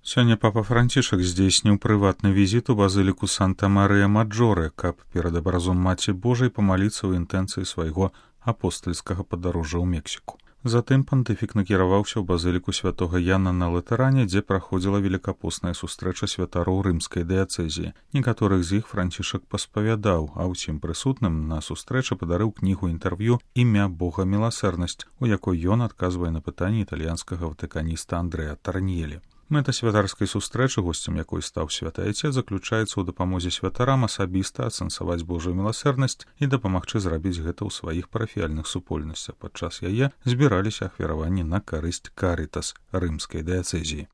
Сёння папа Францішак здзейсніў прыватны візіт у базыліку Санта-Марыя-Маджоре, каб перад абразом Маці Божай памаліцца ў інтэнцыі свайго апостальскага падарожжа ў Мексіку. Затым пантыфік накіраваўся ў базыліку святога Яна на Латэране, дзе праходзіла велікапостная сустрэча святароў рымскай дыяцэзіі. Некаторых з іх Францішак паспавядаў, а ўсім прысутным на сустрэчы падарыў кнігу інтэрв'ю «Імя Бога міласэрнасць», у якой ён адказвае на пытанні італьянскага ватыканіста Андрэа Тарньелі. Мэта святарскай сустрэчы, госцем якой стаў святы айцец, заключаецца ў дапамозе святарам асабіста асэнсаваць Божую міласэрнасць і дапамагчы зрабіць гэта ў сваіх парафіяльных супольнасцях. Падчас яе збіраліся ахвяраванні на карысць Карытас рымскай дыяцэзіі.